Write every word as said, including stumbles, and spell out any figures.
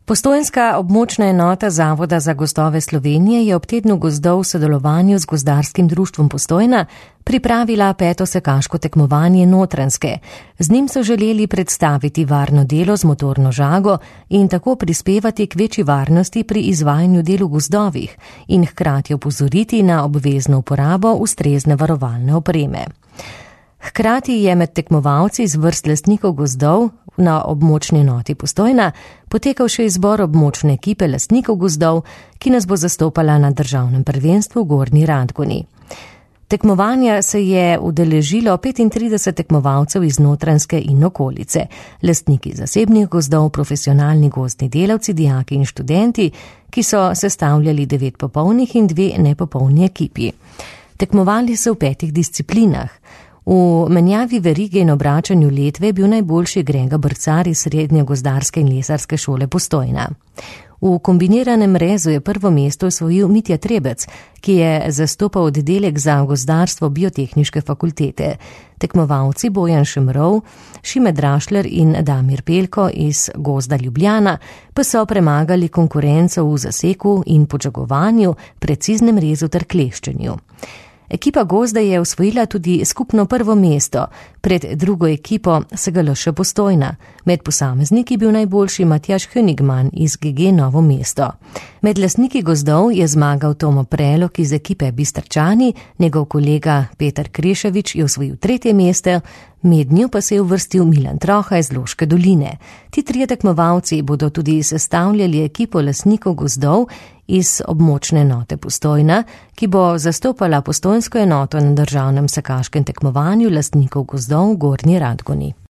Postojnska območna enota Zavoda za gozdove Slovenije je ob tednu gozdov v sodelovanju z Gozdarskim društvom Postojna pripravila peto sekaško tekmovanje Notranjske. Z njim so želeli predstaviti varno delo z motorno žago in tako prispevati k večji varnosti pri izvajanju del v gozdovih in hkrati opozoriti na obvezno uporabo ustrezne varovalne opreme. Hkrati je med tekmovalci iz vrst lastnikov gozdov na območni enoti Postojna potekal še izbor območne ekipe lastnikov gozdov, ki nas bo zastopala na državnem prvenstvu v Gornji Radgoni. Tekmovanja se je udeležilo petintrideset tekmovalcev iz Notranjske in okolice, lastniki zasebnih gozdov, profesionalni gozdni delavci, dijaki in študenti, ki so sestavljali devet popolnih in dve nepopolni ekipi. Tekmovali so v petih disciplinah. V menjavi verige in obračanju letve je bil najboljši Grega Brcar iz Srednje gozdarske in lesarske šole Postojna. V kombiniranem rezu je prvo mesto osvojil Mitja Trebec, ki je zastopal oddelek za gozdarstvo Biotehniške fakultete. Tekmovalci Bojan Šemrov, Šime Drašler in Damir Pelko iz Gozda Ljubljana pa so premagali konkurenco v zaseku in podžagovanju, preciznem rezu ter kleščenju. Ekipa Gozda je osvojila tudi skupno prvo mesto, pred drugo ekipo S G L Š Postojna. Med posamezniki bil najboljši Matjaž Hönigman iz G G Novo mesto. Med lastniki gozdov je zmagal Tomo Prelog iz ekipe Bistrčani, njegov kolega Petar Kreševič je osvojil tretje mesto, mednjo pa se je uvrstil Milan Troha iz Loške doline. Ti trije tekmovalci bodo tudi sestavljali ekipo lastnikov gozdov iz območne enote Postojna, ki bo zastopala postojnsko enoto na državnem sekaškem tekmovanju lastnikov gozdov v Gornji Radgoni.